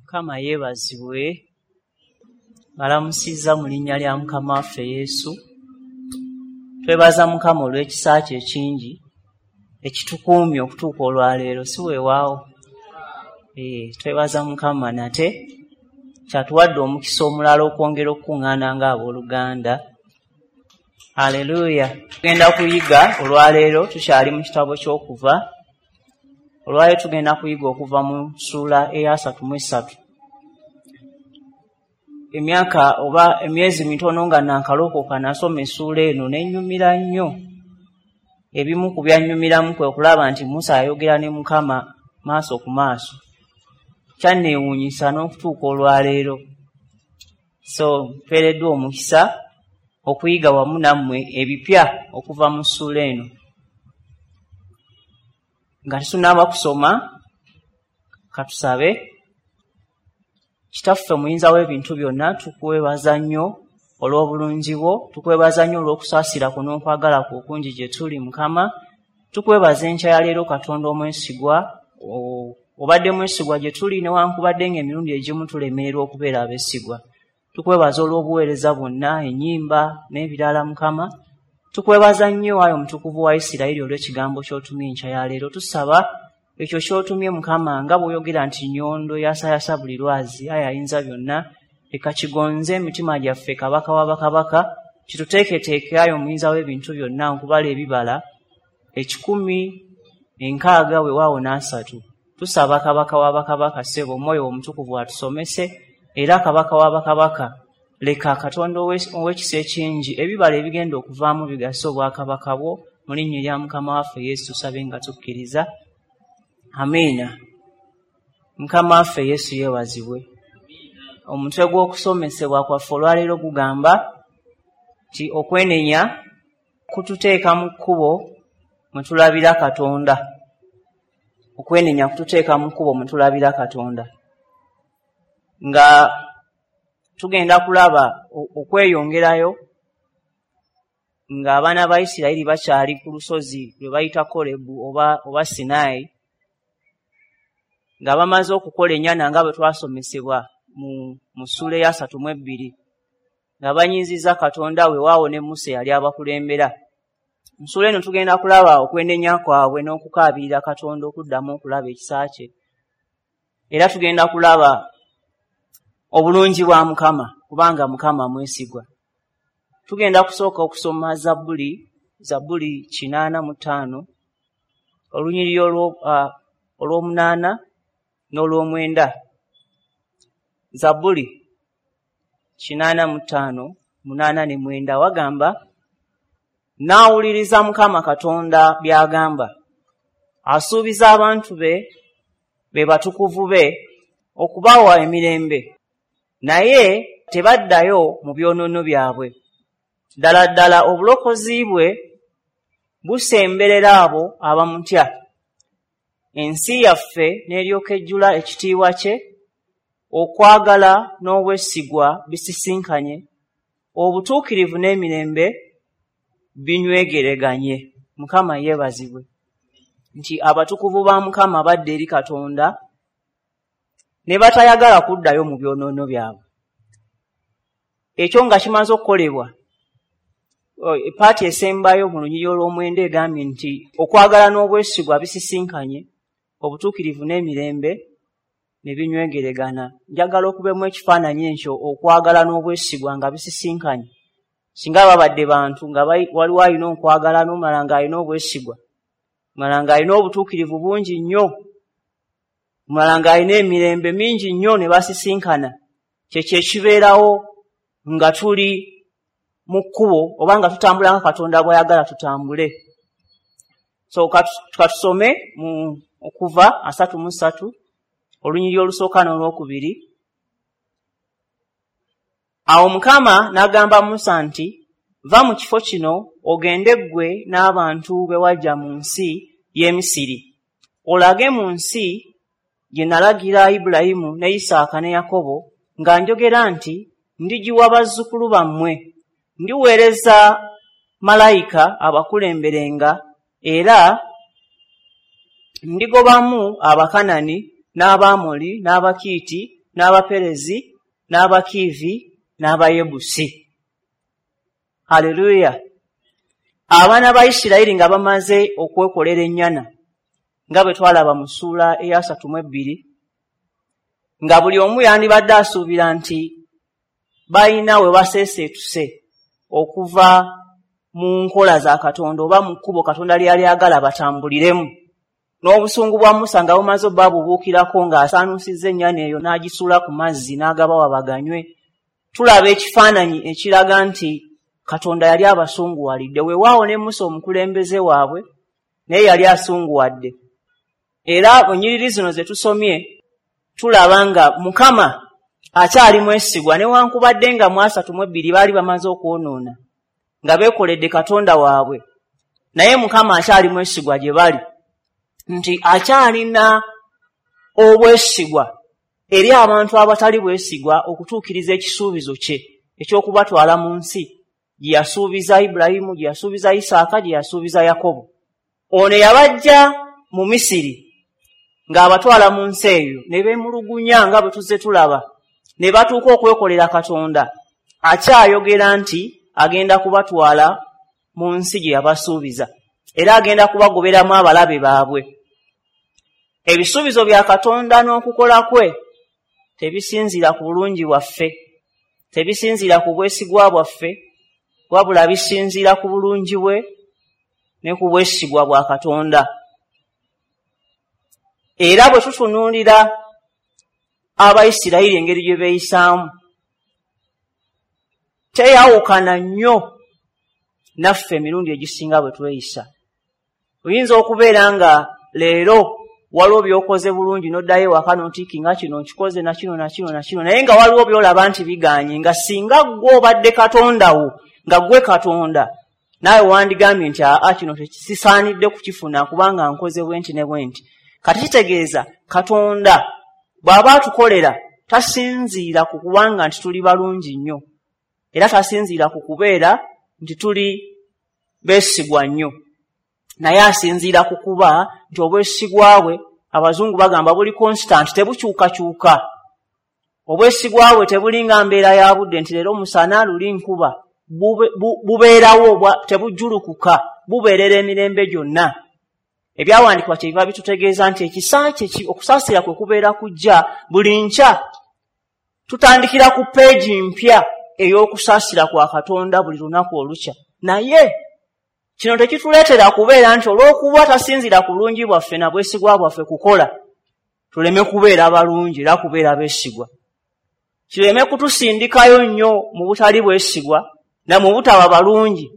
Mukama yeebazibwe. Mbalamusizza mu linnya lya Mukama waffe Yesu. Twebaza Mukama olw'ekisa kye ekingi ekitukuumye okutuuka olwaleero, si weewaawo? Twebaza Mukama nate kyatuwadde omukisa omulala okwongera okukuŋŋaana ng'abooluganda. Haleluya! Tugenda kuyiga olwaleero, tukyali mu kitabo ky'Okuva. Olwaleero tugenda kuyiga okuva mu ssuula eya 33. Emyaka oba emyezi mitono nga naakalokoka nasoma essuula eno n'ennyumira nnyo. Ebimu ku byannyumiramu kwe kulaba nti Musa ayogera ne Mukama maaso ku maaso. Kyanneewuunyisa n'okutuuka olwaleero. So mpeereddwa omukisa okuyiga wamu nammwe ebipya okuva mu ssuula eno. Nga tetunnaba kusoma, katusabe. Kitaffe muyinza w'ebintu byonna, tukwebaza nnyo olw'obulungi bwo, tukwebaza nnyo olw'okusaasira kwo n'okwagala kwo okungi gye tuli, Mukama. Tukwebaza enkya ya leero, Katonda omwesigwa, obadde mwesigwa gye tuli newankubadde ng'emirundi egimu tulemererwa okubeera abeesigwa. Tukwebaza olw'obuweereza bwonna, ennyimba n'ebirala, Mukama. Tukwebaza nnyo ayi Omutukuvu wa Isirayiri olw'ekigambo ky'otumye enkya ya leero. Tusaba ekyo ky'otumye, Mukama, nga bw'oyogera nti nnyondo yasayasa buli lwazi, ayi ayinza byonna, leka kigonze emitima gyaffe, Kabaka wa bakabaka, kituteeketeeke ayi omuyinza w'ebintu byonna nkubala ebibala 160 weewaawo n'asatu. Tusaba Kabaka wa bakabaka, ssebo, Omwoyo Omutukuvu atusomese, era Kabaka wa bakabaka, leka Katonda ow'ekisa ekingi ebibala ebigenda okuvaamu bigase obwakabaka bwo. Mu linnya erya Mukama waffe Yesu tusabe nga tukkiriza. Amiina. Mukama waffe Yesu yeebazibwe. Omutwe gw'okusomesebwa kwaffe olwaleero gugamba nti okwenenya kututeeka mu kkubo mwe tulabira Katonda. Okwenenya kututeeka mu kkubo mwe tulabira Katonda. Nga tugenda kulaba okweyongerayo ng'abaana ba Isirayiri bakyali ku lusozi lwe bayita Kolebu oba Sinaayi, nga bamaze okukola ennyana nga bwe twasomesebwa mu ssuula eya 32, nga banyiizizza Katonda, weewaawo ne Musa eyali abakulembera. Mu ssuula eno tugenda kulaba okwenenya kwabwe n'okukaabirira Katonda okuddamu okulaba ekisa kye. Era tugenda kulaba obulungi bwa Mukama, kubanga Mukama mwesigwa. Tugenda kusooka okusoma Zabbuli 85, olunyiriri olw'omunaana n'olw'omwenda. Zabbuli 85, 8 ne 9 wagamba, "Naawuliriza Mukama Katonda by'agamba. Asuubiza abantu be, be batukuvu be, okubawa emirembe, naye tebaddayo mu byonoono byabwe. Ddala ddala obulokozi bwe busemberera abo abamutya. Ensi yaffe n'eryoka ejjula ekitiibwa kye. Okwagala n'obwesigwa bisisinkanye, obutuukirivu n'emirembe binywegereganye." Mukama yeebazibwe. Nti abatukuvu ba Mukama badda eri Katonda ne batayagala kuddayo mu byonoono byabwe. Ekyo nga kimaze okukolebwa, part esembayo mu lunyiriri olw'omwenda egambye nti okwagala n'obwesigwa bisisinkanye, obutuukirivu n'emirembe ne binywegeregana. Njagala okubemu ekifaananyi ekyo, okwagala n'obwesigwa nga bisisinkanye. Singa babadde bantu nga waliwo alina okwagala n'omulala ng'alina obwesigwa, omulala ng'alina obutuukirivu bungi nnyo, omulala ng'alina emirembe mingi nnyo, ne basisinkana, kyekyo ekibeerawo nga tuli mu kkubo oba nga tutambula nga Katonda bw'ayagala tutambule. So katusome mu Okuva 33, olunyiriri olusooka n'olwokubiri. Awo Mukama n'agamba Musa nti, "Va mu kifo kino ogende ggwe n'abantu be wajja mu nsi y'e Misiri, olage mu nsi gye nalagira Ibulayimu ne Isaaka ne Yakobo nga njogera nti ndigiwa bazzukulu bammwe. Ndiweereza malayika abakulemberenga, era ndigobamu Abakanani n'Abamoli n'Abakiiti n'Abaperezi, n'Abakiivi, n'Abayebusi. Haleluya! Abaana ba Isirayiri nga bamaze okwekolera ennyana, nga bwe twalaba mu ssuula eya 32, nga buli omu yandibadde asuubira nti balina we baseeseetuse okuva mu nkola za Katonda oba mu kkubo Katonda lyali agala batambuliremu. N'obusungu bwa Musa nga bumaze obba bubuukirako ng'asaanuusizza ennyana eyo n'agisuula ku mazzi n'agabawa baganywe. Tulaba ekifaananyi ekiraga nti Katonda yali abasunguwalidde. Weewaawo ne Musa omukulembeze waabwe naye yali asunguwadde. Era ennyiriri zino ze tusomye tulaba nga Mukama akyali mwesigwa, newankubadde nga mu 32 baali bamaze okwonoona nga beekoledde Katonda waabwe, naye Mukama akyali mwesigwa gye bali, nti akyalina obwesigwa eri abantu abatali bwesigwa okutuukiriza ekisuubizo kye eky'okubatwala mu nsi gye yasuubiza Ibulayimu, gye yasuubiza Isaaka, gye yasuubiza Yakobo. Ono yabajja mu Misiri ng'abatwala mu nsi eyo, ne beemulugunya nga bwe tuzze tulaba, ne batuuka okwekolera Katonda. Akyayogera nti agenda kubatwala mu nsi gye yabasuubiza, era agenda kubagoberamu abalabe baabwe. Ebisuubizo bya Katonda n'okukola kwe tebisinziira ku bulungi bwaffe, tebisinziira ku bwesigwa bwaffe, wabula bisinziira ku bulungi bwe ne ku bwesigwa bwa Katonda. Era bwe tutunuulira Abayisirayiri engeri gye beeyisaamu, teyawukana nnyo naffe emirundi egisinga bwe tweyisa. Oyinza okubeera nga leero waliwo by'okoze bulungi n'oddayo ewaka n'otiiki nga kino nkikoze na kino na kino na kino, naye nga waliwo by'olaba nti biganye, nga singa ggwe obadde Katonda wo, nga ggwe Katonda, naawe wandigambye nti aa, kino sisaanidde kukifuna kubanga nkoze bwe nti ne bwe nti. Kati kitegeeza Katonda bw'aba atukolera tasinziira ku kubanga nti tuli balungi nnyo, era tasinziira ku kubeera nti tuli beesigwa nnyo, naye asinziira ku kuba nti obwesigwa bwe, abazungu bagamba, buli constant, tebukyukakyuka. Obwesigwa bwe tebulinga mbeera ya budde nti leero musana, luli nkuba. Bubeerawo, tebujjulukuka, bubeerera emirembe gyonna. Ebyawandiikibwa kyebiva bitutegeeza nti ekisa kye, okusaasira kwe kubeera kujja buli nkya. Tutandikira ku peegi mpya ey'okusaasira kwa Katonda buli lunaku olukya. Naye kino tekituleetera kubeera nti olw'okuba tasinziira ku bulungi bwaffe na bwesigwa bwaffe kukola, tuleme kubeera balungi era kubeera beesigwa, kireme kutusindikayo nnyo mu butali bwesigwa na mu butaba balungi,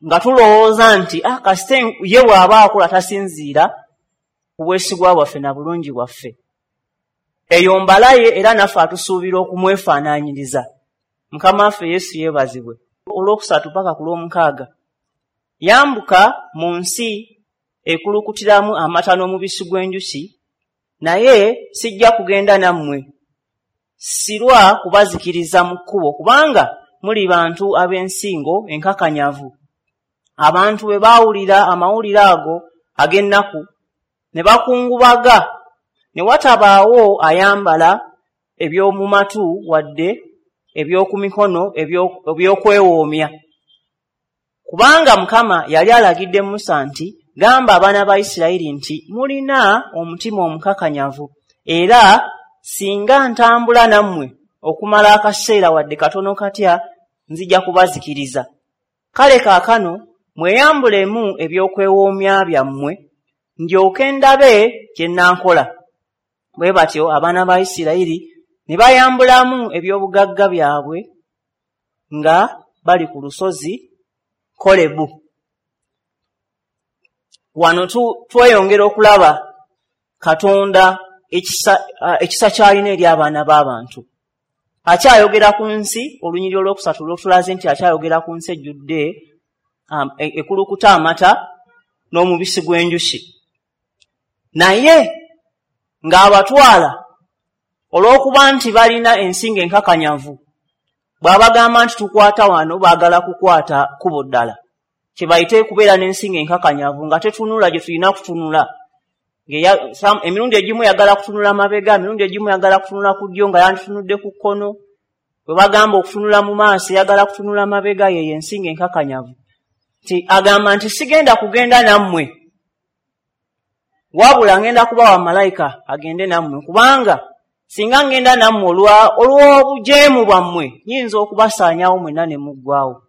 nga tulowooza nti ah, kasite ye bw'aba akola tasinziira ku bwesigwa bwaffe na bulungi bwaffe. Eyo mbalaye, era naffe atusuubira okumwefaanaanyiriza. Mukama waffe Yesu yeebazibwe. Olwokusatu paka ku lw'omukaaga: Yambuka mu nsi ekulukutiramu amata n'omubisi gw'enjuki, naye sijja kugenda nammwe, sirwa kubazikiriza mu kkubo, kubanga muli bantu ab'ensingo enkakanyavu. Abantu bwe baawulira amawulire ago ag'ennaku ne bakungubaga, ne watabaawo ayambala eby'omu matu wadde eby'oku mikono eby'okwewoomya. Kubanga Mukama yali alagidde Musa nti, "Gamba abaana ba Isirayiri nti mulina omutima omukakanyavu, era singa ntambula nammwe okumala akaseera wadde katono katya, nzija kubazikiriza. Kale kaakano mweyambulemu ebyokwewoomya byammwe, ndyoke ndabe kye nnankola." Bwe batyo abaana ba Isirayiri ne bayambulamu eby'obugagga byabwe nga bali ku lusozi Kolebu. Wano tweyongera okulaba Katonda ekisa ky'alina eri abaana b'abantu. Akyayogera ku nsi, olunyiriri olwokusatu lwotulaze nti akyayogera ku nsi ejjudde ekulukuta amata n'omubisi gw'enjuki, naye ng'abatwala olw'okuba nti balina ensingo enkakanyavu. Bw'abagamba nti tukwata wano, baagala kukwata kkubo ddala, kye bayite kubeera n'ensingo enkakanyavu, nga tetunula gye tulina kutunula. Emirundi egimu yagala kutunula mabega, emirundi egimu yagala kutunula ku ddyo nga yanditunudde ku kkono. Bwe bagamba okutunula mu maaso yagala kutunula mabega. Yeyo ensinga enkakanyavu. Nti agamba nti sigenda kugenda nammwe, wabula ngenda kubawa malayika agende nammwe, kubanga singa ngenda nammwe olw'obujeemu bwammwe nyinza okubasaanyaawo mwenna ne muggwaawo.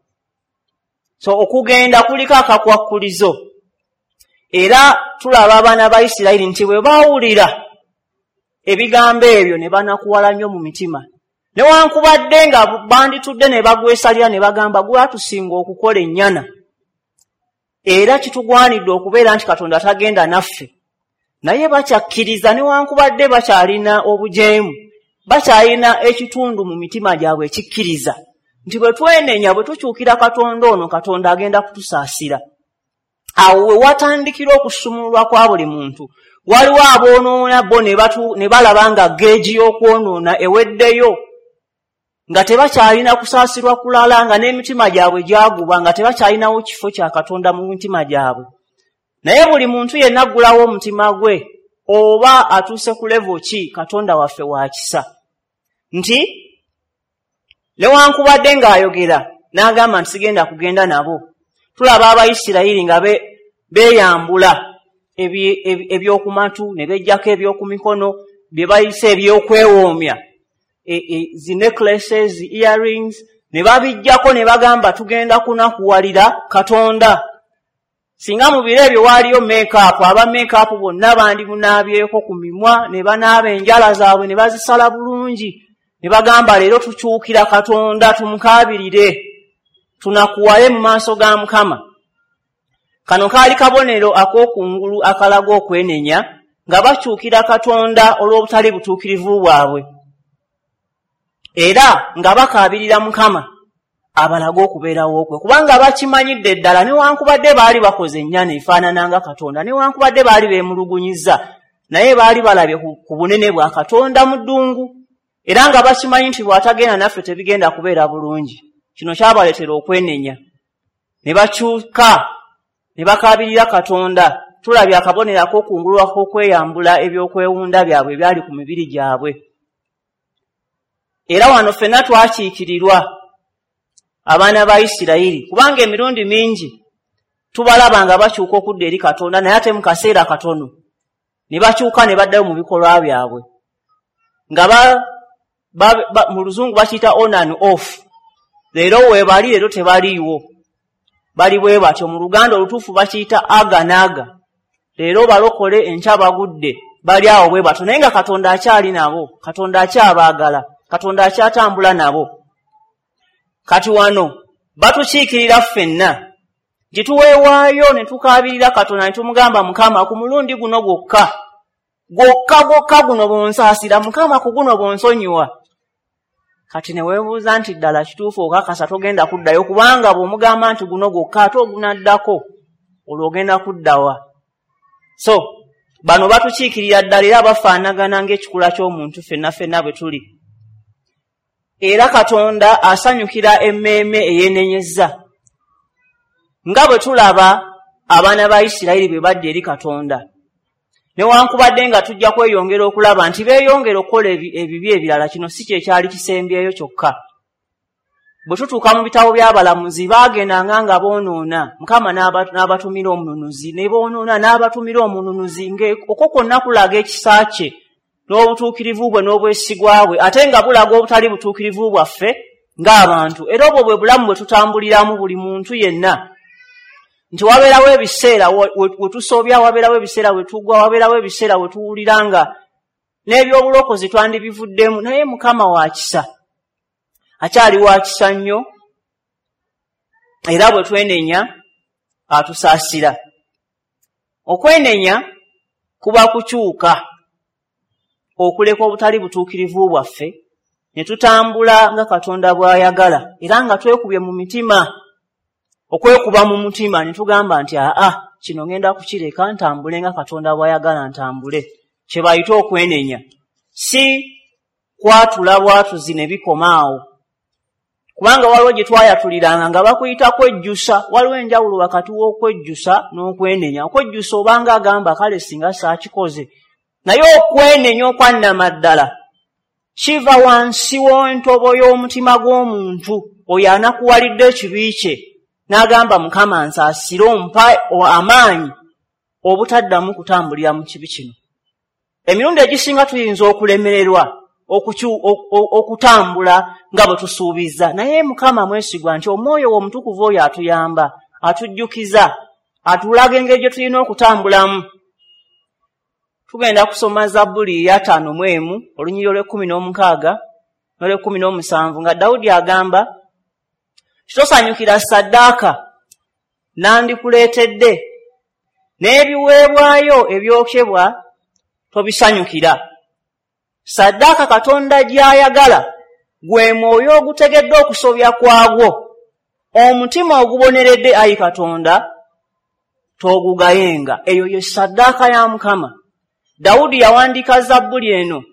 So okugenda kuliko akakwakkulizo. Era tulaba abaana ba Isirayiri nti bwe baawulira ebigambo ebyo ne banakuwala nnyo mu mitima, newankubadde nga banditudde ne bagwesalira ne bagamba gwatusinga okukola ennyana, era kitugwanidde okubeera nti Katonda tagenda naffe. Naye bakyakkiriza newankubadde bakyalina obujeemu, bakyalina ekitundu mu mitima gyabwe ekikkiriza nti bwe twenenya, bwe tukyukira Katonda ono, Katonda agenda kutusaasira. Awo we watandikira okusumululwa kwa buli muntu. Waliwo aboonoona bo ne balaba nga geegi y'okwonoona eweddeyo, nga tebakyalina kusaasirwa kulala, nga n'emitima gyabwe gyaguba, nga tebakyalinawo kifo kya Katonda mu mitima gyabwe. Naye buli muntu yenna aggulawo omutima gwe oba atuuse ku levo ki, Katonda waffe wa kisa. Nti newankubadde ng'ayogera n'agamba nti sigenda kugenda nabo, tulaba Abayisirayiri nga beeyambula ebyokumatu ne bejjako ebyokumikono bye bayise ebyokwewoomya, zi necklaces, zi earrings, ne babijjako ne bagamba tugenda kunakuwalira Katonda. Singa mu biro ebyo waaliyo make-up, aba make-up bonna bandimunaabyeko ku mimwa ne banaaba enjala zaabwe ne bazisala bulungi ne bagamba leero tukyukira Katonda, tumukaabirire, tunakuwale mu maaso ga Mukama. Kano kaali kabonero ak'okungulu akalaga okwenenya, nga bakyukira Katonda olw'obutali butuukirivu bwabwe, era nga bakaabirira Mukama abalage okubeerawo kwe, kubanga bakimanyidde ddala newankubadde baali bakoze ennyana efaanana nga Katonda, newankubadde baali beemulugunyizza, naye baali balabye ku bunene bwa Katonda mu ddungu, era nga bakimanyi nti bw'atagenda naffe tebigenda kubeera bulungi. Kino kyabaleetera okwenenya ne bakyuka ne bakaabirira Katonda. Tulabye akabonero ak'okungulu ak'okweyambula ebyokwewunda byabwe ebyali ku mibiri gyabwe. Era wano ffenna twakiikirirwa abaana ba Isirayiri, kubanga emirundi mingi tubalaba nga bakyuka okudda eri Katonda, naye ate mu kaseera katono ne bakyuka ne baddayo mu bikolwa byabwe, nga mu luzungu bakiyita on and off. Leero weebali, leero tebaliiwo, bali bwe batyo. Mu Luganda olutuufu bakiyita aga n'aga, leero balokole, enkya bagudde, bali awo bwe batyo. Naye nga Katonda akyali nabo, Katonda akyabaagala, Katonda akyatambula nabo. Kati wano batukiikirira ffenna nti tuweewaayo ne tukaabirira Katonda ne tumugamba, Mukama, ku mulundi guno gwokka gwokka gwokka guno bw'onsaasira, Mukama, ku guno bw'onsonyiwa. Kati ne weebuuza nti ddala kituufu okakasa togenda kuddayo, kubanga bw'omugamba nti guno gwokka ate ogunaddako olwo ogenda kuddawa. So bano batukiikirira ddala era bafaanagana ng'ekikula ky'omuntu ffenna ffenna bwe tuli. Era Katonda asanyukira emmeeme eyeenenyezza, nga bwe tulaba abaana ba Isirayiri bwe badda eri Katonda. Newankubadde nga tujja kweyongera okulaba nti beeyongera okukola ebibi ebirala, kino si kye kyali kisembyeyo kyokka. Bwe tutuuka mu bitabo by'abalamuzi, baagendanga nga boonoona, Mukama n'abatumira omununuzi, ne boonoona n'abatumira omununuzi, ng'okwo kwonna kulaga ekisa kye n'obutuukirivu bwe n'obwesigwa bwe, ate nga bulaga obutali butuukirivu bwaffe ng'abantu. Era obwo bwe bulamu bwe tutambuliramu buli muntu yenna, nti wabeerawo ebiseera we tusobya, wabeerawo ebiseera we tugwa, wabeerawo ebiseera we tuwulira nga n'ebyobulokozi twandibivuddemu. Naye Mukama wa kisa, akyali wa kisa nnyo, era bwe twenenya atusaasira. Okwenenya kuba kukyuka okuleka obutali butuukirivu bwaffe ne tutambula nga Katonda bw'ayagala, era nga twekubye mu mitima, okwekuba mu mutima ne tugamba nti aa, kino ngenda kukireka ntambule nga Katonda bw'ayagala ntambule. Kye bayita okwenenya, si kwatula bwatuzi ne bikoma awo. Kubanga waliwo gye twayatuliranga nga bakuyita kwejjusa. Waliwo enjawulo wakati w'okwejjusa n'okwenenya. Okwejjusa obanga agamba kale singa saakikoze, naye okwenenya okwannamaddala kiva wansi w'entobo y'omutima gw'omuntu oyo anakuwalidde ekibi kye n'agamba Mukama nsaasire ompa amaanyi obutaddamu kutambulira mu kibi kino. Emirundi egisinga tuyinza okulemererwa okutambula nga bwe tusuubiza, naye Mukama mwesigwa nti omwoyo omutukuvu oyo atuyamba, atujjukiza, atulaga engeri gye tulina okutambulamu. Tugenda kusoma Zabbuli ya 51 olunyiriri olw'e16 n'olw'e17 nga Dawudi agamba, tosanyukira ssaddaaka nandikuleetedde, n'ebiweebwayo ebyokebwa tobisanyukira. Ssaddaaka Katonda gy'ayagala gwe mwoyo ogutegedde okusobya kwagwo, omutima oguboneredde ayi Katonda togugayenga. Eyo ye ssaddaaka ya Mukama. Dawudi yawandiika Zabbuli eno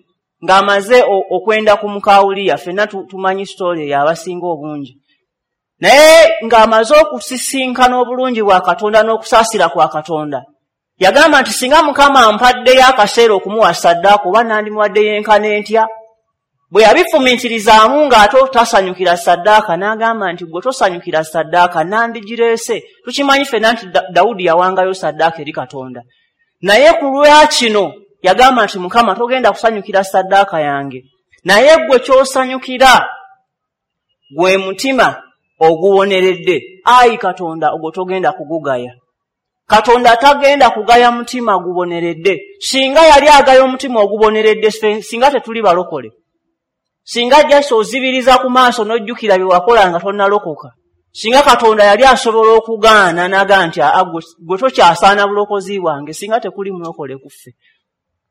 ng'amaze okwenda ku mukawuliya. Ffenna tumanyi sitole eyo abasinga obungi, naye ng'amaze okusisinkana obulungi bwa Katonda n'okusaasira kwa Katonda, yagamba nti singa Mukama ampaddeyo akaseera okumuwa ssaddaaka oba nandimuwaddeyo enkana entya. Bwe yabifumiitirizaamu ng'ate tasanyukira ssaddaaka, n'agamba nti gwe tosanyukira ssaddaaka nandigireese. Tukimanyi ffenna nti Dawudi yawangayo ssaddaaka eri Katonda, naye ku lwa kino yagamba nti Mukama togenda kusanyukira ssaddaaka yange, naye gwe ky'osanyukira gwe mutima oguwoneredde. Ayi Katonda ogwo togenda kugugaya. Katonda tagenda kugaya mutima guboneredde. Singa yali agaya omutima oguboneredde, singa tetuli balokole. Singa jasa ozibiriza ku maaso n'ojjukira bye wakola nga tonnalokoka, singa Katonda yali asobola okugaana n'agaa nti gwe tokyasaana bulokozi bwange, singa tekuli mulokole ku ffe.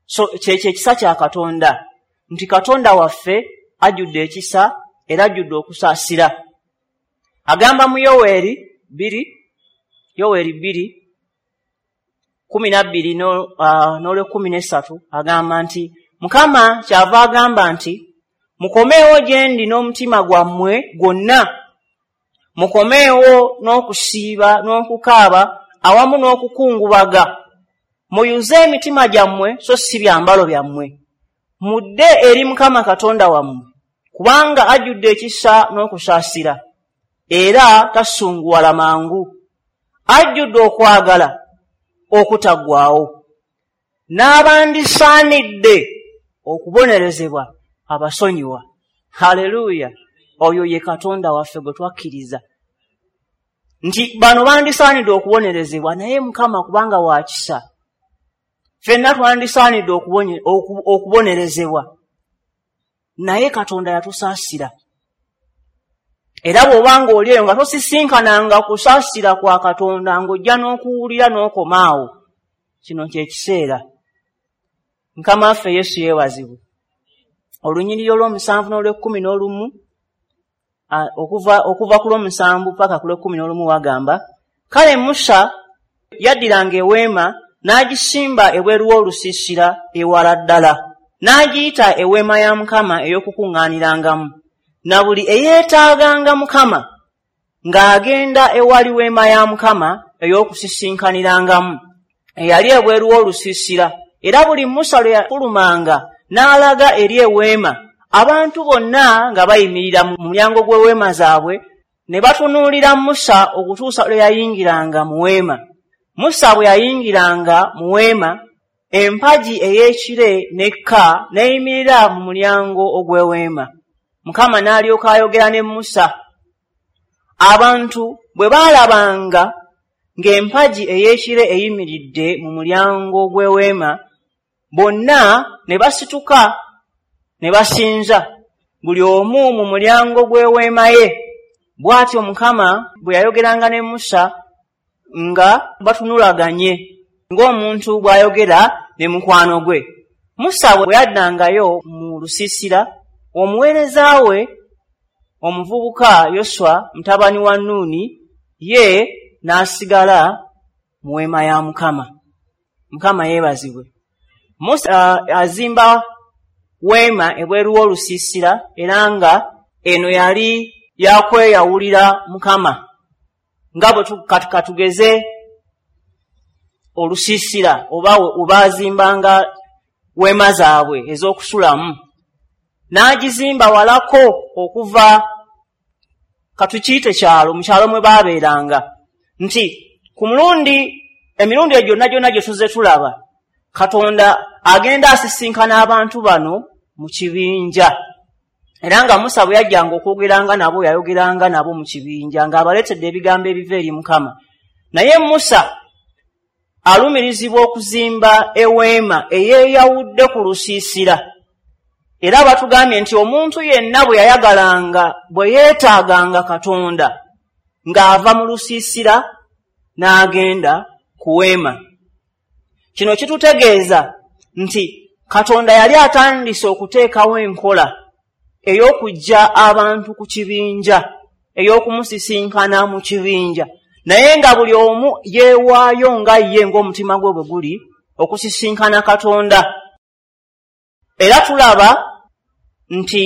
So kyekyo ekisa kya Katonda, nti Katonda waffe ajjudde ekisa era ajjudde okusaasira. Agamba mu Yoweeri 2:12 n'olw'e13 agamba nti Mukama kyava agamba nti mukomeewo gye ndi n'omutima gwammwe gwonna, mukomeewo n'okusiiba n'okukaaba awamu n'okukungubaga, muyuze emitima gyammwe so si byambalo byammwe, mudde eri Mukama Katonda wammwe, kubanga ajjudde ekisa n'okusaasira era tasunguwala mangu, ajjudde okwagala okutaggwaawo, n'abandisaanidde okubonerezebwa abasonyiwa. Haleluya! Oyo ye Katonda waffe gwe twakkiriza nti bano bandisaanidde okubonerezebwa, naye Mukama kubanga wa kisa, ffenna twandisaanidde okubonerezebwa, naye Katonda yatusaasira. Era bw'obanga oli eyo nga tosisinkananga kusaasira kwa Katonda, ng'ojja n'okuwulira n'okomaawo, kino kye kiseera. Mukama waffe Yesu yeebazibwe. Olunyiriri olw'omusanvu n'olw'e11, okuva ku lw'omusanvu paka ku lw'e11 wagamba, kale Musa yaddiranga eweema n'agisimba ebweru w'olusiisira ewala ddala, n'agiyita eweema ya Mukama ey'okukuŋŋaanirangamu. Na buli eyeetaaganga Mukama ng'agenda ewali weema ya Mukama ey'okusisinkanirangamu eyali ebweru w'olusiisira. Era buli Musa lwe yafulumanga n'alaga eri eweema, abantu bonna nga bayimirira mu mulyango gw'eweema zaabwe ne batunuulira Musa okutuusa lwe yayingiranga mu weema. Musa bwe yayingiranga mu weema, empagi ey'ekire n'ekka n'eyimirira mu mulyango ogw'eweema. Mukama n'alyoka ayogera ne Musa. Abantu bwe baalabanga ng'empagi ey'ekire eyimiridde mu mulyango gw'eweema, bonna ne basituka ne basinza, buli omu mu mulyango gw'eweema ye. Bw'atyo Mukama bwe yayogeranga ne Musa nga batunulaganye, ng'omuntu bw'ayogera ne mukwano gwe. Musa bwe yaddangayo mu lusiisira, omuweereza we omuvubuka Yoswa mutabani wa Nuuni ye n'asigala mu weema ya Mukama. Mukama yeebazibwe. Musa azimba weema ebweru w'olusiisira, era nga eno yali yakweyawulira Mukama, nga bwe katugeze olusiisira oba webazimbanga weema zaabwe ez'okusulamu, n'agizimba walako okuva katukiyite kyalo, mu kyalo mwe baabeeranga, nti ku mulundi emirundi egyo gyonna gyonna gye tuzze tulaba Katonda agenda asisinkana abantu bano mu kibinja. Era nga Musa bwe yajjanga okwogeranga nabo, yayogeranga nabo mu kibinja ng'abaleetedde ebigambo ebiva eri Mukama. Naye Musa alumirizibwa okuzimba eweema eyeeyawudde ku lusiisira. Era batugambye nti omuntu yenna bwe yayagalanga, bwe yeetaaganga Katonda, ng'ava mu lusiisira n'agenda ku weema. Kino kitutegeeza nti Katonda yali atandise okuteekawo enkola ey'okuggya abantu ku kibinja, ey'okumusisinkana mu kibinja, naye nga buli omu yeewaayo nga ye ng'omutima gwe bwe guli okusisinkana Katonda. Era tulaba nti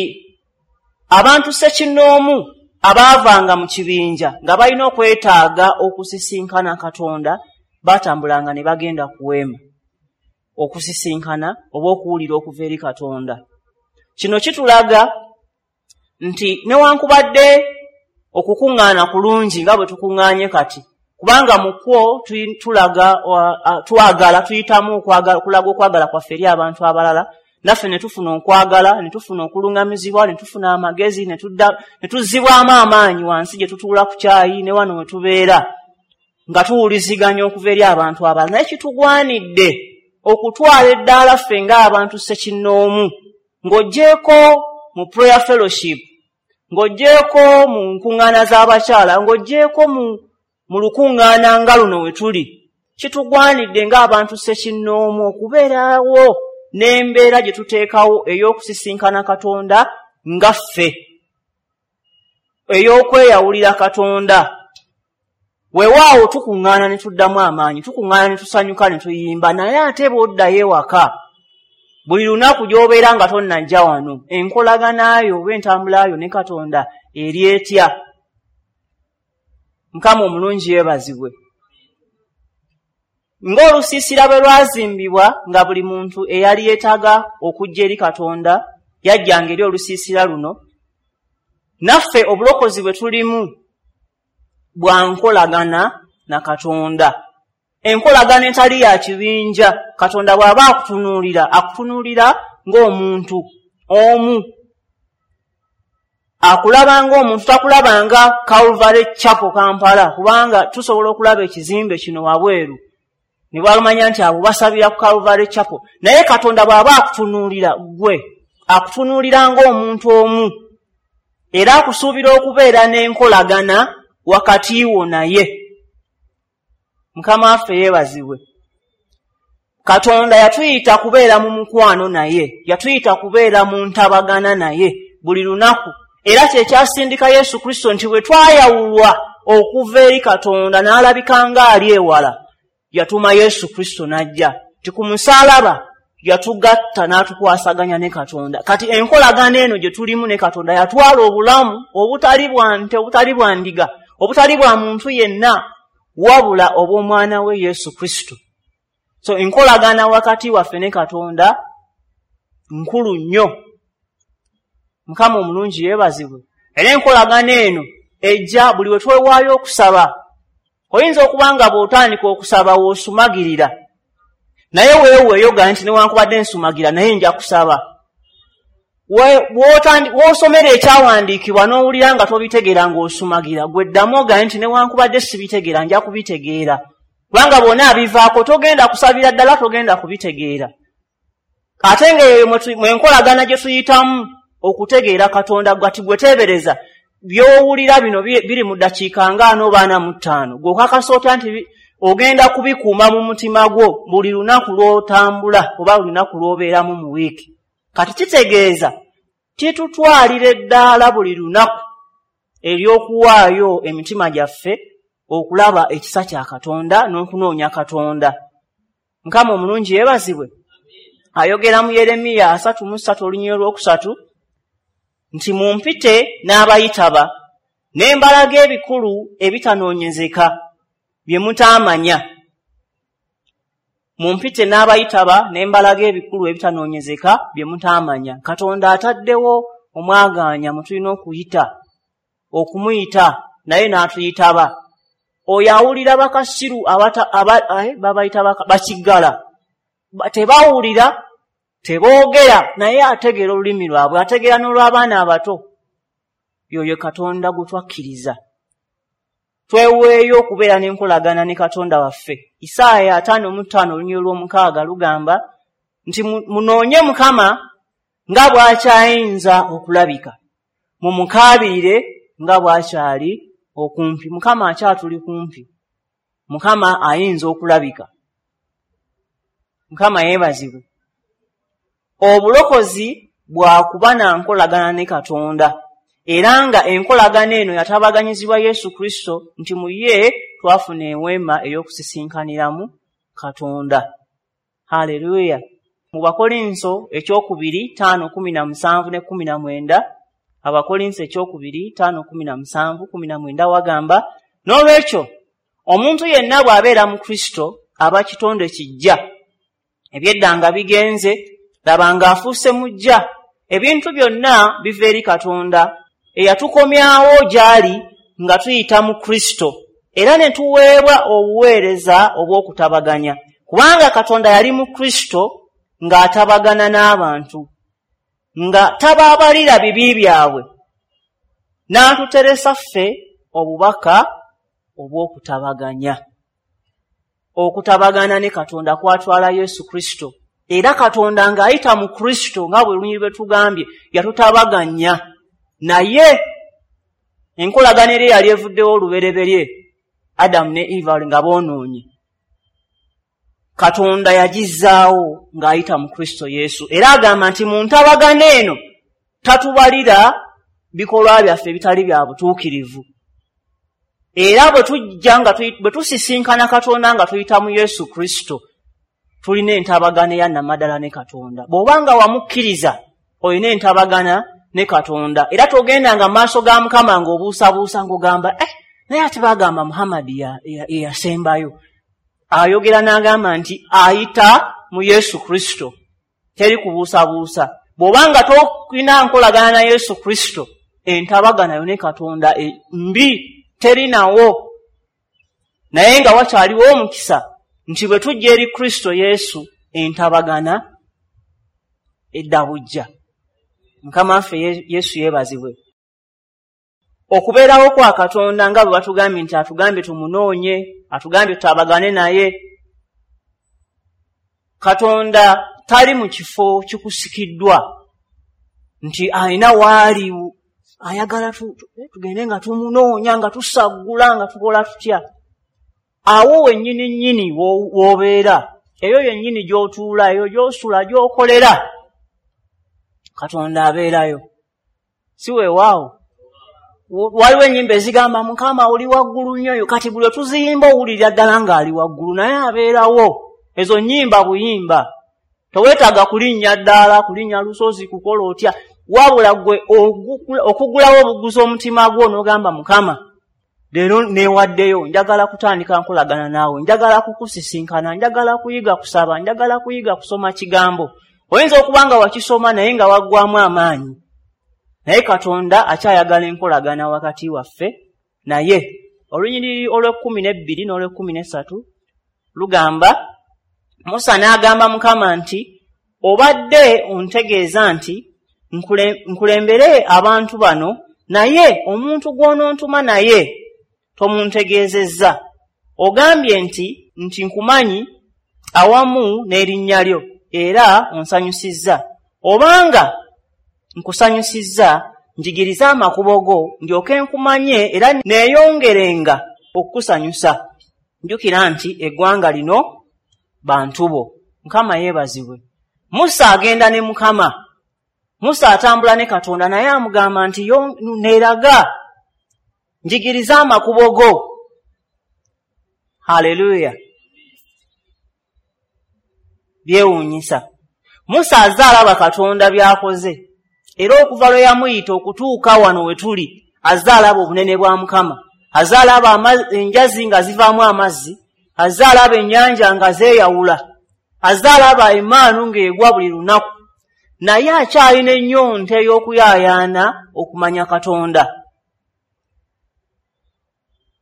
abantu ssekinnoomu abaavanga mu kibinja nga balina okwetaaga okusisinkana Katonda batambulanga ne bagenda ku weema okusisinkana oba okuwulira okuva eri Katonda. Kino kitulaga nti newankubadde okukuŋŋaana kulungi nga bwe tukuŋŋaanye kati, kubanga mu kwo tulaga twagala, tuyitamu okulaga okwagala kwaffe eri abantu abalala, naffe ne tufuna okwagala, ne tufuna okuluŋŋamizibwa, ne tufuna amagezi, ne tuzzibwamu amaanyi wansi gye tutuula ku kyayi ne wano we tubeera nga tuwuliziganya okuva eri abantu abalala. Naye kitugwanidde okutwala eddaala ffe ng'abantu ssekinnoomu, ng'oggyeeko mu prayer fellowship, ng'oggyeeko mu nkuŋŋaana z'abakyala, ng'oggyeeko mu lukuŋŋaana nga luno we tuli, kitugwanidde ng'abantu ssekinnoomu okubeerawo n'embeera gye tuteekawo ey'okusisinkana Katonda nga ffe, ey'okweyawulira Katonda. Weewaawo tukuŋŋaana ne tuddamu amaanyi, tukuŋŋaana ne tusanyuka ne tuyimba, naye ate bw'oddayo ewaka buli lunaku gy'obeera nga tonnajja wano, enkolagana yo oba entambula yo ne Katonda eri etya? Mukama omulungi yeebazibwe. Ng'olusiisira bwe lwazimbibwa nga buli muntu eyali yeetaaga okujja eri Katonda yajjanga eri olusiisira luno, naffe obulokozi bwe tulimu bwa nkolagana na Katonda. Enkolagana etali ya kibinja. Katonda bw'aba akutunuulira, akutunuulira ng'omuntu omu, akulaba ng'omuntu, takulaba nga Calvary Chapel Kampala, kubanga tusobola okulaba ekizimbe kino wabweru ne bwamanya nti abo basabira ku Calvary Chapel. Naye Katonda bw'aba akutunuulira ggwe, akutunuulira ng'omuntu omu, era akusuubira okubeera n'enkolagana wakati wo naye. Mukama waffe yeebazibwe. Katonda yatuyita kubeera mu mukwano naye, yatuyita kubeera mu ntabagana naye buli lunaku. Era kye kyasindika Yesu Kristo nti bwe twayawulwa okuva eri Katonda n'alabika ng'ali ewala, yatuma Yesu Kristo n'ajja. Nti ku musaalaba yatugatta n'atukwasaganya ne Katonda. Kati enkolagana eno gye tulimu ne Katonda yatwala obulamu obutali bwa nte, obutali bwa ndiga, obutali bwa muntu yenna, wabula obw'omwana we Yesu Kristo. So enkolagana wakati waffe ne Katonda nkulu nnyo. Mukama omulungi yeebazibwe. Era enkolagana eno ejja buli we twewaayo okusaba. Oyinza okuba nga bw'otandika okusaba w'osumagirira, naye weeweeyo ga nti newankubadde nsumagira naye nja kusaba. W'osomera ekyawandiikibwa n'owulira nga tobitegeera ng'osumagira, gwe ddamu ogaye nti newankubadde sibitegeera nja kubitegeera. Kubanga bw'ona abivaako togenda kusabira ddala, togenda kubitegeera. Ate ng'eyo mwenkolagana gye tuyitamu okutegeera Katonda, gati gwe teebereza by'owulira bino biri mu ddakiika nga 40 oba 45, gw'okakasa otya nti ogenda kubikuuma mu mutima gwo buli lunaku lw'otambula oba buli lunaku lw'obeeramu mu wiiki. Kati kitegeeza kitutwalira eddaala buli lunaku ery'okuwaayo emitima gyaffe okulaba ekisa kya Katonda n'okunoonya Katonda. Mukama omulungi yeebazibwe. Ayogera mu Yeremiya 33 olunyiriri olwokusatu nti mumpite n'abayitaba, Ne mbalaga ebikulu ebitanoonyezeka bye mutaamanya. Mumpite n'abayitaba ne mbalaga ebikulu ebitanoonyezeka bye mutaamanya. Katonda ataddewo omwagaanya mwe tulina okuyita, okumuyita naye n'atuyitaba. Oyo awulira bakasiru babayita bakiggala, tebawulira, teboogera, naye ategeera olulimi lwabwe, ategeera n'olw'abaana abato. Yoyo Katonda gwe twakkiriza. Tweweeyo okubeera n'enkolagana ne Katonda waffe. Isaaya 55 olunyiriri lw'omukaaga lugamba nti munoonye Mukama nga bw'akyayinza okulabika, mumukaabirire nga bw'akyali okumpi. Mukama akyatuli kumpi, Mukama ayinza okulabika. Mukama yeebazibwe. Obulokozi bwakuba na nkolagana ne Katonda, era nga enkolagana eno yatabaganyizibwa Yesu Kristo, nti mu ye twafuna eweema ey'okusisinkaniramu Katonda. Haleluya! Mu Bakolinso ekyokubiri 5:17 ne 19, Abakolinso ekyokubiri 5:17 19 wagamba, n'olwekyo omuntu yenna bw'abeera mu Kristo aba kitonde kijja, eby'edda nga bigenze, laba ng'afuuse mujja. Ebintu byonna biva eri Katonda eyatukomyawo gy'ali nga tuyita mu Kristo, era ne tuweebwa obuweereza obw'okutabaganya, kubanga Katonda yali mu Kristo ng'atabagana n'abantu, nga tababalira bibi byabwe, n'atuteresa ffe obubaka obw'okutabaganya. Okutabagana ne Katonda kwatwala Yesu Kristo, era Katonda ng'ayita mu Kristo, nga bwe lunyiriri bwe tugambye, yatutabaganya naye. Enkolagana eri yali evuddewo olubereberye, Adamu ne Eva nga boonoonye, Katonda yagizzaawo ng'ayita mu Kristo Yesu. Era agamba nti mu ntabagana eno tatubalira bikolwa byaffe ebitali bya butuukirivu. Era bwe tujja nga bwe tusisinkana Katonda nga tuyita mu Yesu Kristo, tulina entabagana eya namaddala ne Katonda. Bw'oba nga wamukkiriza, olina entabagana ne Katonda. Era togendanga mu maaso ga Mukama ng'obuusabuusa ng'ogamba, naye ate bagamba Muhammadi yeyasembayo. Ayogera n'agamba nti ayita mu Yesu Kristo, teri kubuusabuusa. Bw'oba nga tolina nkolagana na Yesu Kristo, entabagana yo ne Katonda mbi, terinawo. Naye nga wakyaliwo omukisa nti bwe tujja eri Kristo Yesu, entabagana edda bujja. Mukama waffe Yesu yeebazibwe. Okubeerawo kwa Katonda nga bwe batugambye nti atugambye tumunoonye, atugambye tutabagane naye. Katonda tali mu kifo kikusikiddwa nti alina waali ayagala tugende nga tumunoonya, nga tusaggula, nga tukola tutya. Awo wennyini nnyini w'obeera, eyo yennyini gy'otuula, eyo gy'osula, gy'okolera, Katonda abeerayo. Si weewaawo? Waliwo ennyimba ezigamba Mukama oli waggulu nnyo, kati buli otuziyimba owulirira ddala ng'ali waggulu, naye abeerawo. Ezo nnyimba buyimba, toweetaaga kulinnya ddaala, kulinnya lusozi, kukola otya, wabula gwe okugulawo obuguzi omutima gwo n'ogamba Mukama leero neewaddeyo, njagala kutandika nkolagana naawe, njagala kukusisinkana, njagala kuyiga kusaba, njagala kuyiga kusoma kigambo. Oyinza okuba nga wakisoma naye nga waggwamu amaanyi, naye Katonda akyayagala enkolagana wakati waffe naye. Olunyiriri olw'e12 n'olw'e13 lugamba, Musa n'agamba Mukama nti, obadde ontegeeza nti nkulembere abantu bano, naye omuntu gw'onontuma naye tomuntegeezezza. Ogambye nti nkumanyi awamu n'erinnya lyo, era onsanyusizza. Obanga nkusanyusizza, njigiriza amakubo go, ndyoke nkumanye era neeyongerenga okukusanyusa. Njukira nti eggwanga lino bantu bo. Mukama yeebazibwe. Musa agenda ne Mukama. Musa atambula ne Katonda, naye amugamba nti neeraga, njigiriza amakubo go. Haleluya! Byewuunyisa. Musa azze alaba Katonda by'akoze, era okuva lwe yamuyita okutuuka wano we tuli, Azze alaba obunene bwa Mukama, azze alaba enjazi nga zivaamu amazzi, azze alaba ennyanja nga zeeyawula, azze alaba emaanu ng'egwa buli lunaku, naye akyalina ennyonta ey'okuyaayaana okumanya Katonda.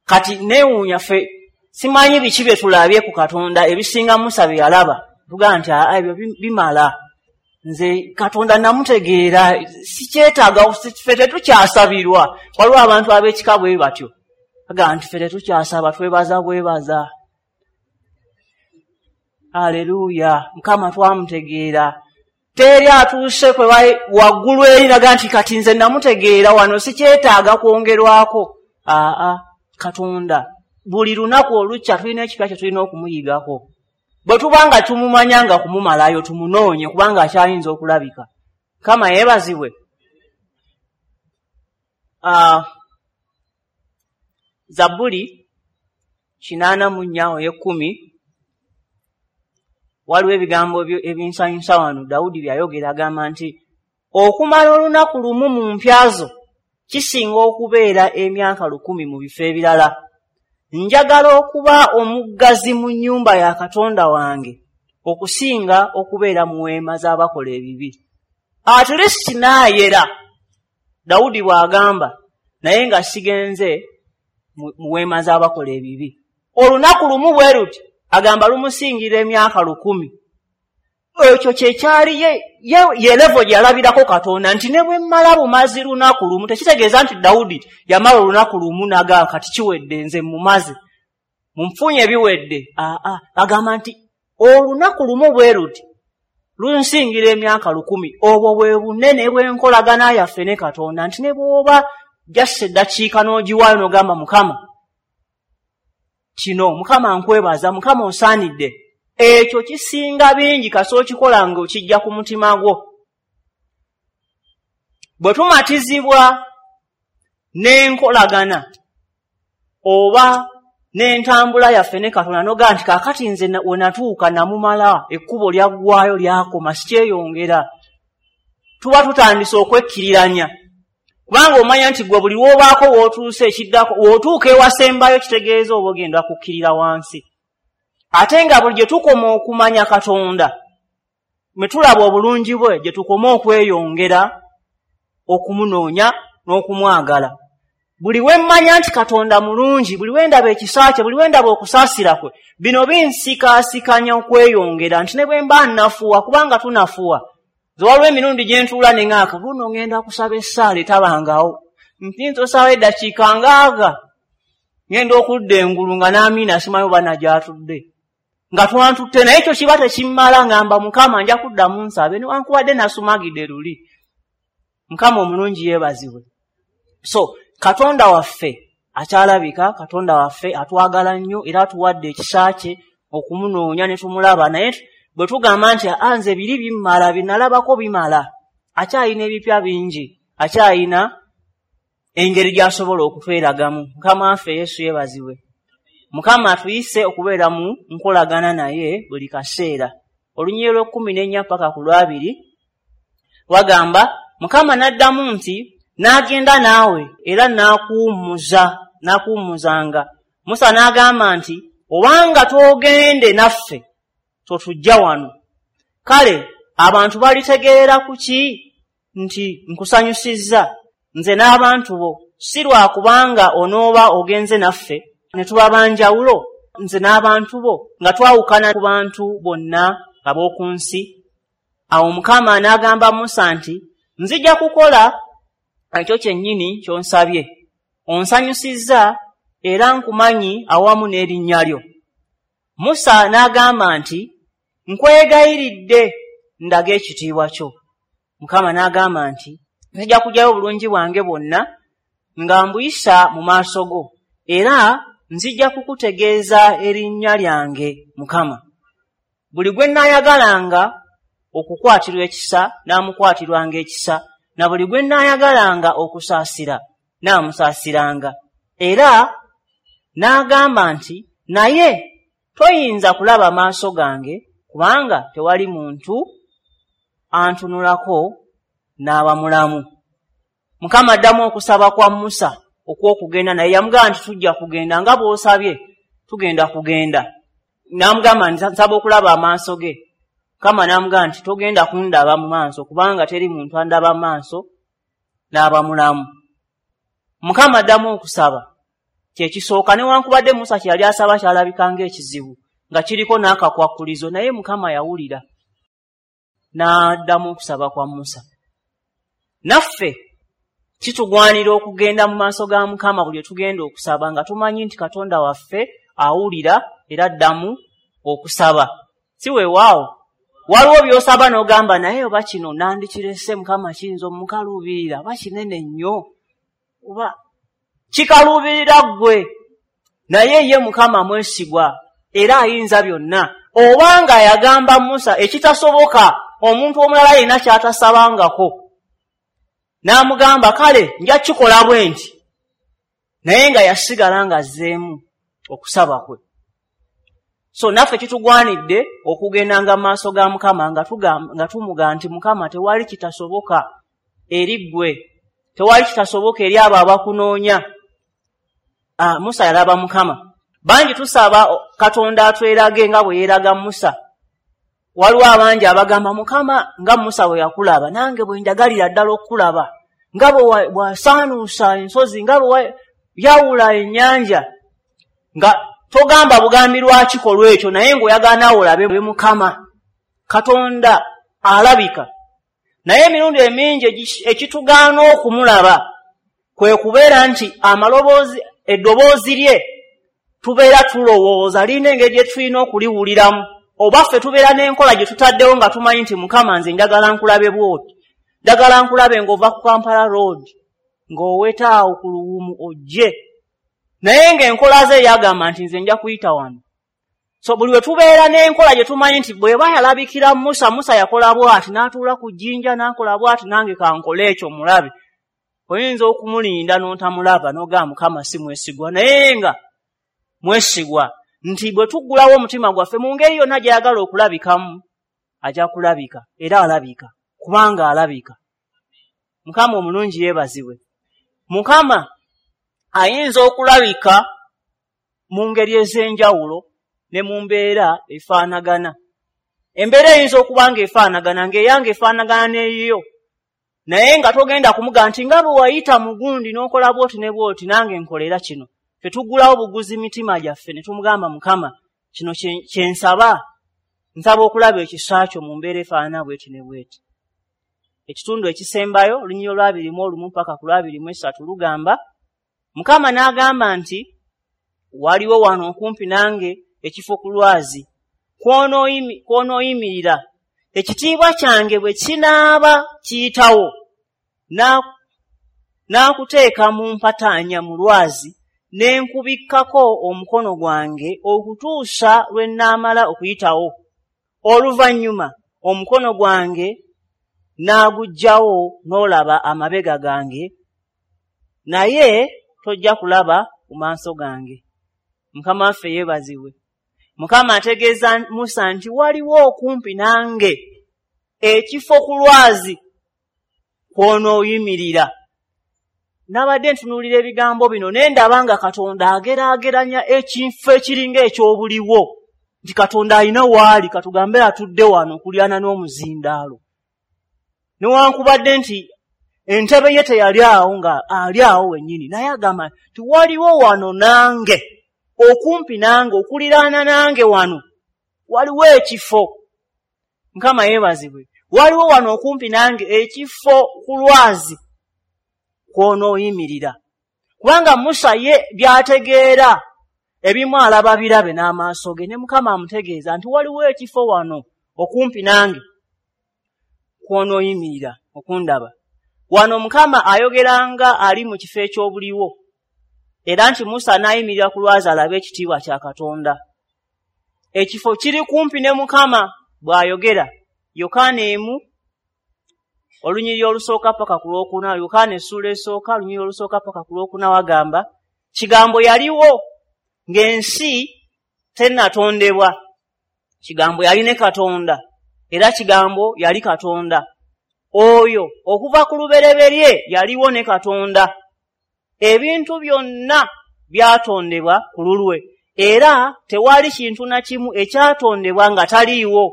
Kati neewuunya ffe simanyi biki bye tulabye ku Katonda ebisinga Musa bye yalaba. Tugamba nti ebyo bimala, nze Katonda namutegeera, sikyetaaga, ffe tetukyasabirwa. Waliwo abantu ab'ekika bwe batyo, bagamba nti ffe tetukyasaba, twebaza bwebaza. Aleluya, Mukama twamutegeera. Teri atuuse kwe waggulu eri naga nti kati nze namutegeera, wano sikyetaaga kwongerwako. Aa, Katonda buli lunaku olukya tulina ekipya kye tulina okumuyigako. Bwe tuba nga tumumanya nga kumumalayo, tumunoonye kubanga akyayinza okulabika. Mukama yeebazibwe. Zabbuli 84 ey'ekkumi, waliwo ebigambo ebinsanyusa wano Dawudi by'ayogera. Agamba nti okumala olunaku lumu mu mpya zo kisinga okubeera emyaka 1000 mu bifo ebirala. Njagala okuba omuggazi mu nnyumba ya Katonda wange okusinga okubeera mu weema z'abakola ebibi. At least naayera, Dawudi bw'agamba, naye nga sigenze mu weema z'abakola ebibi. Olunaku lumu bwe luti agamba lumusingira emyaka 1000. Ekyo kyekyali ye level gye yalabirako Katonda nti ne bwe mmala bumazi lunaku lumu, tekitegeeza nti Dawudi yamala olunaku lumu n'agamba kati kiwedde nze mumaze, munfunye biwedde. Aa, agamba nti olunaku lumu bwe luti lunsingira emyaka 1000. Obwo bwe bunene bw'enkolagana yaffe ne Katonda, nti ne bw'oba jassa eddakiika n'ogiwaayo n'ogamba Mukama kino, Mukama nkwebaza, Mukama osaanidde, ekyo kisinga bingi kasita okikola ng'okijja ku mutima gwo. Bwe tumatizibwa n'enkolagana oba n'entambula yaffe ne Katonda, n'ogamba nti kaakati nze we natuuka namumala, ekkubo lyaggwaayo lyakoma, sikyeyongera, tuba tutandise okwekkiriranya. Kubanga omanya nti gwe buli lw'obaako w'otuuse ekiddako, w'otuuka ewasembayo kitegeeza oba ogenda kukkirira wansi. Ate nga buli gye tukoma okumanya Katonda, mwe tulaba obulungi bwe, gye tukoma okweyongera okumunoonya n'okumwagala. Buli we mmanya nti Katonda mulungi, buli we ndaba ekisa kye, buli we ndaba okusaasira kwe, bino binsikaasikanya okweyongera nti ne bwe mba nnafuwa, kubanga tunafuwa. Nze waliwo emirundi gye ntuula ne ŋŋaaka, luno ŋŋenda kusaba essaala etabangawo, nti osaba eddakiika ngaaga, ŋŋenda okudda engulu nga n'amiina simanyi oba nagyatudde, nga twantutte, naye ekyo kiba tekimmala. Ŋŋamba Mukama nja kuddamu nsabe newankubadde nasumagidde luli. Mukama omulungi yeebazibwe. So Katonda waffe akyalabika, Katonda waffe atwagala nnyo era atuwadde ekisa kye okumunoonya ne tumulaba. Naye bwe tugamba nti nze biri bimmala, binalabako bimala, akyalina ebipya bingi, akyalina engeri gy'asobola okutweragamu. Mukama waffe Yesu yeebazibwe. Mukama atuyise okubeera mu nkolagana naye buli kaseera. Olunyiriri lw'e14 paka ku lwabiri wagamba, Mukama n'addamu nti n'agenda naawe era n'akuwummuzanga. Musa n'agamba nti obanga toogende naffe totujja wano. Kale abantu balitegeera ku ki nti nkusanyusizza nze n'abantu bo, si lwa kubanga onooba ogenze naffe ne tuba banjawulo nze n'abantu bo, nga twawukana ku bantu bonna ab'oku nsi. Awo Mukama n'agamba Musa nti nzija kukola ekyo kyennyini ky'onsabye, onsanyusizza era nkumanyi awamu n'erinnya lyo. Musa n'agamba nti nkwegayiridde ndaga ekitiibwa kyo. Mukama n'agamba nti nzija kuggyayo obulungi bwange bwonna nga mbuyisa mu maaso go, era nzija kukutegeeza erinnya lyange Mukama. Buli gwe nnaayagalanga okukwatirwa ekisa n'amukwatirwanga ekisa, na buli gwe nnaayagalanga okusaasira n'amusaasiranga. Era n'agamba nti naye toyinza kulaba maaso gange, kubanga tewali muntu antunulako n'aba mulamu. Mukama addamu okusaba kwa Musa okw'okugenda, naye yamugamba nti tujja kugenda nga bw'osabye, tugenda kugenda. N'amugamba nti nsaba okulaba amaaso ge. Mukama n'amugamba nti togenda kundaba mu maaso, kubanga teri muntu andaba mu maaso n'aba mulamu. Mukama addamu okusaba kyekisooka, newankubadde Musa kye yali asaba kyalabika ng'ekizibu, nga kiriko n'akakwakulizo, naye Mukama yawulira n'addamu okusaba kwa Musa. Naffe kitugwanira okugenda mu maaso ga Mukama buli tugenda okusaba, nga tumanyi nti Katonda waffe awulira era addamu okusaba. Si weewaawo waliwo by'osaba n'ogamba naye oba kino nandikirese Mukama kiyinza omukaluubirira, oba kinene nnyo, oba kikaluubirira ggwe, naye ye Mukama mwesigwa era ayinza byonna. Obanga yagamba Musa ekitasoboka omuntu omulala yenna ky'atasabangako, n'amugamba kale nja kikola bwe nti, naye nga yasigala ng'azzeemu okusaba kwe. So naffe kitugwanidde okugendanga mu maaso ga Mukama nga tumugamba nti Mukama tewali kitasoboka eri ggwe, tewali kitasoboka eri abo abakunoonya. Musa yalaba Mukama. Bangi tusaba Katonda atwerage nga bwe yeeraga Musa. Waliwo abangi abagamba Mukama nga Musa bwe yakulaba, nange bwe njagalira ddala okukulaba, nga bwe bwasaanuusa ensozi, nga bwe yawula ennyanja. Nga togamba bugambi lwakikolwa ekyo, naye ng'oyagala naawe olabe Mukama. Katonda alabika, naye emirundi emingi ekitugaana okumulaba kwe kubeera nti amaloboozi, eddoboozi lye tubeera tulowooza lirina engeri gye tulina okuliwuliramu, oba ffe tubeera n'enkola gye tutaddewo nga tumanyi nti Mukama nze njagala nkulabe bw'oti, njagala nkulabe ng'ova ku Kampala Road ng'oweta awo ku Luwumu ojje, naye ng'enkola ze yagamba nti nze nja kuyita wano. So buli we tubeera n'enkola gye tumanyi nti bw'eba yalabikira Musa, Musa yakola bw'ati, n'atuula ku jjinja n'akola bw'ati, nange kankole ekyo mulabe. Oyinza okumulinda n'otamulaba n'ogamba Mukama si mwesigwa, naye nga mwesigwa nti bwe tuggulawo omutima gwaffe mu ngeri yonna gy'ayagala okulabikamu, ajja kulabika, era alabika, kubanga alabika. Mukama omulungi yeebazibwe. Mukama ayinza okulabika mu ngeri ez'enjawulo ne mu mbeera efaanagana. Embeera eyinza okuba ng'efaanagana, ng'eyange efaanagana n'eyiyo, naye nga togenda kumugamba nti nga bwe wayita mu gundi n'okola bw'oti ne bw'oti, nange nkolera kino. Ffe tuggulawo buguzi mitima gyaffe ne tumugamba Mukama kino kye nsaba, nsaba okulaba ekisa kyo mu mbeera efaanana bw'eti ne bw'eti. Ekitundu ekisembayo, olunyiriri olwa 21 paka ku lwa 23 lugamba, Mukama n'agamba nti waliwo wano okumpi nange ekifo ku lwazi kw'onooyimirira, ekitiibwa kyange bwe kinaaba kiyitawo, n'akuteeka mu mpataanya mu lwazi, ne nkubikkako omukono gwange okutuusa lwe nnaamala okuyitawo. Oluvannyuma omukono gwange n'aguggyawo n'olaba amabega gange, naye tojja kulaba ku maaso gange. Mukama waffe yeebazibwe. Mukama ategeeza Musa nti waliwo okumpi nange ekifo ku lwazi kw'onooyimirira. Nabadde ntunuulira ebigambo bino ne ndaba nga Katonda ageraageranya ekifo ekiringa eky'obuliwo, nti Katonda alina waali, katugambe atudde wano okulyana n'omuzindaalo, newankubadde nti entebe ye teyali awo nga ali awo wennyini, naye agamba nti waliwo wano nange, okumpi nange, okuliraana nange wano waliwo ekifo. Mukama yeebazibwe. Waliwo wano okumpi nange ekifo ku lwazi kw'onooyimirira. Kubanga Musa ye by'ategeera ebimu alaba birabe n'amaaso ge, ne Mukama amutegeeza nti waliwo ekifo wano okumpi nange kw'onooyimirira okundaba. Wano Mukama ayogera nga ali mu kifo eky'obuliwo, era nti Musa n'ayimirira ku lwazi alabe ekitiibwa kya Katonda. Ekifo kiri kumpi ne Mukama bw'ayogera. Yokaana 1 olunyiriri olusooka paka ku lwokuna, Yokaana essuula esooka olunyiriri olusooka paka ku lwokuna wagamba, Kigambo yaliwo ng'ensi tennatondebwa, Kigambo yali ne Katonda, era Kigambo yali Katonda. Oyo okuva ku lubereberye yaliwo ne Katonda. Ebintu byonna byatondebwa ku lulwe, era tewali kintu na kimu ekyatondebwa nga taliiwo.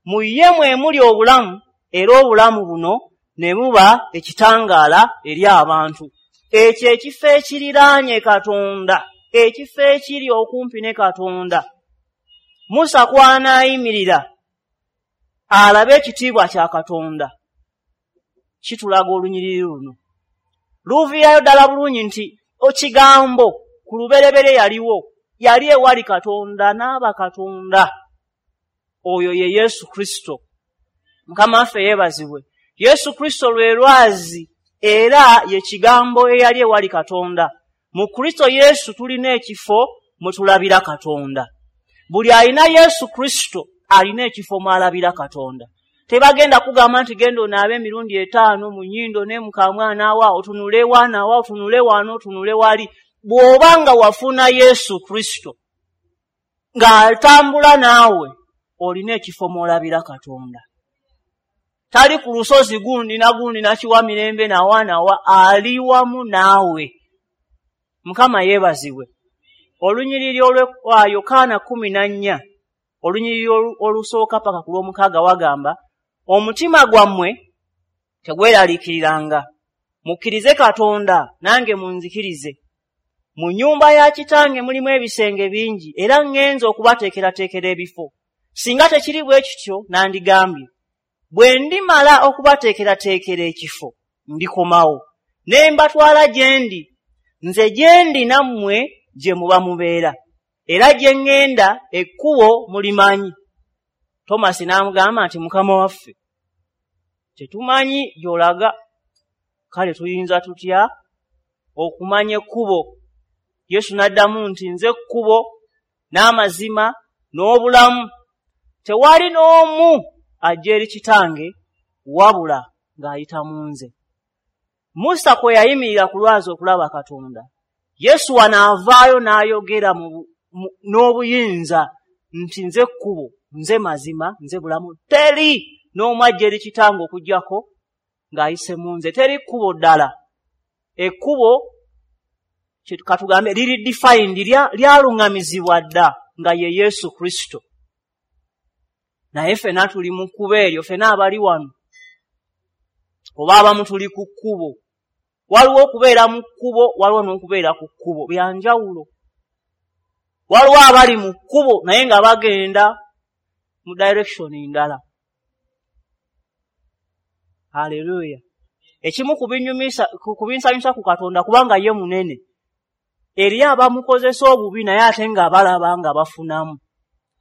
Mu ye mwe muli obulamu, era obulamu buno ne buba ekitangaala eri abantu. Ekyo ekifo ekiriraanye Katonda, ekifo ekiri okumpi ne Katonda, Musa kw'anaayimirira alabe ekitiibwa kya Katonda, kitulaga olunyiriri luno. Luviirayo ddala bulungi nti ekigambo ku lubereberye yaliwo, yali ewali Katonda n'aba Katonda. Oyo ye Yesu Kristo. Mukama waffe yeebazibwe. Yesu Kristo lwe lwazi era ye kigambo eyali ewali Katonda. Mu Kristo Yesu tulina ekifo mwe tulabira Katonda. Buli alina Yesu Kristo alina ekifo mw'alabira Katonda. Tebagenda kugamba nti genda onaabe emirundi 5 mu nnyindo ne mu kamwana wa, otunule wana wa, otunule wano, otunule wali. Bw'oba nga wafuna Yesu Kristo ng'atambula naawe, olina ekifo mw'olabira Katonda. Tali ku lusozi gundi na gundi nakiwa mirembe nawa nawa, ali wamu naawe. Mukama yeebazibwe. Olunyiriri olwa Yokaana 14, olunyiriri olusooka paka ku lw'omukaaga wagamba, omutima gwammwe tegweraliikiriranga, mukkirize Katonda nange munzikirize. Mu nnyumba ya kitange mulimu ebisenge bingi, era ŋŋenze okubateekerateekera ebifo. Singa tekiri bwe kityo nandigambye, bwe ndimala okubateekerateekera ekifo ndikomawo ne mbatwala gye ndi, nze gye ndi nammwe gye muba mubeera, era gye ŋŋenda ekkubo mulimanyi. Tomasi n'amugamba nti Mukama waffe, tetumanyi gy'olaga, kale tuyinza tutya okumanya ekkubo? Yesu n'addamu nti nze kkubo n'amazima n'obulamu, tewali n'omu ajja eri kitange wabula ng'ayita mu nze. Musa kwe yayimirira ku lwazi okulaba Katonda, Yesu wano avaayo n'ayogera n'obuyinza nti nze kkubo, nze mazima, nze bulamu, teri n'omu ajja eri kitange okuggyako ng'ayise mu nze. Teri kkubo ddala. Ekkubo katugambe liri defined, lyaluŋŋamizibwa dda nga ye Yesu Kristo. Naye ffenna tuli mu kkubo eryo, ffenna abali wano oba abamu tuli ku kkubo. Waliwo okubeera mu kkubo, waliwo n'okubeera ku kkubo, bya njawulo. Waliwo abali mu kkubo naye nga bagenda mu direction ndala. Haleluya. Ekimu ku binsanyusa ku Katonda, kubanga ye munene, eri abamukozesa obubi naye ate nga balaba nga bafunamu.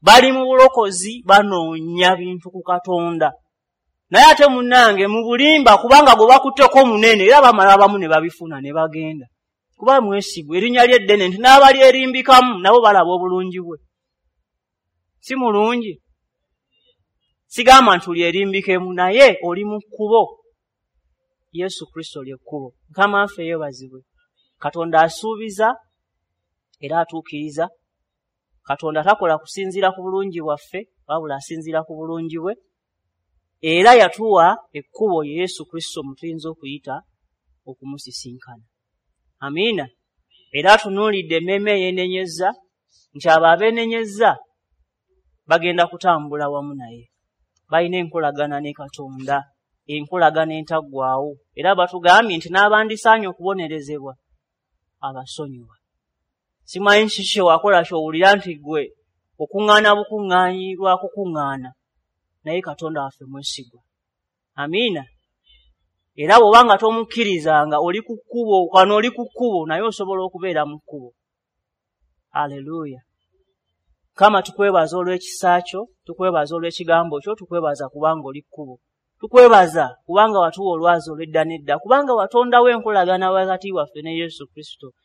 Bali mu bulokozi, banoonya bintu ku Katonda. Naye ate munnange mu bulimba, kubanga gwe bakutteko munene, era bamala abamu ne babifuna ne bagenda. Kuba mwesigwa, erinnya lye ddene nti n'abali erimbikamu nabo balaba obulungi bwe. Si mulungi? Sigamba nti oli erimbikemu, naye oli mu kkubo. Yesu Kristo lye kkubo. Mukama waffe yeebazibwe. Katonda asuubiza era atuukiriza. Katonda takola kusinziira ku bulungi bwaffe, wabula asinziira ku bulungi bwe. Era yatuwa ekkubo ye Yesu Kristo mwe tuyinza okuyita okumusisinkana. Amiina. Era atunuulidde emmeeme eyeenenyezza nti abo abeenenyezza bagenda kutambula wamu naye. Balina enkolagana ne Katonda, enkolagana entaggwaawo. Era batugambye nti n'abandisaanye okubonerezebwa abasonyiwa. Simanyi kiki kye wakola ky'owulira nti ggwe okuŋŋaana bukuŋŋaanyi lwa kukuŋŋaana, naye Katonda waffe mwesigwa. Amiina. Era bw'oba nga tomukkirizanga oli ku kkubo, wano oli ku kkubo, naye osobola okubeera mu kkubo. Haleluya. Mukama tukwebaza olw'ekisa kyo, tukwebaza olw'ekigambo kyo, tukwebaza kubanga oli kkubo. Tukwebaza kubanga watuwa olwazi olw'edda n'edda, kubanga watondawo enkolagana wakati waffe ne Yesu Kristo.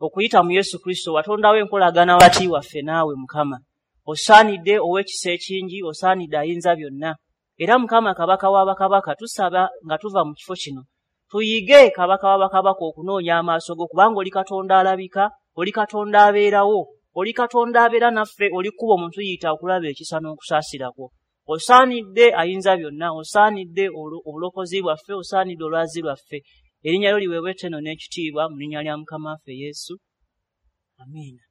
Okuyita mu Yesu Kristo watondawo enkolagana wakati waffe naawe Mukama. Osaanidde ow'ekisa ekingi, osaanidde ayinza byonna. Era Mukama Kabaka w'abakabaka, tusaba nga tuva mu kifo kino tuyige Kabaka w'abakabaka okunoonya amaaso go, kubanga oli Katonda alabika, oli Katonda abeerawo, oli Katonda abeera naffe, oli kkubo mu tuyita okulaba ekisa n'okusaasira kwo. Osaanidde ayinza byonna, osaanidde obulokozi bwaffe, osaanidde olwazi lwaffe. Erinnya lyo liweebwe ettendo n'ekitiibwa mu linnya lya Mukama waffe Yesu. Amiina.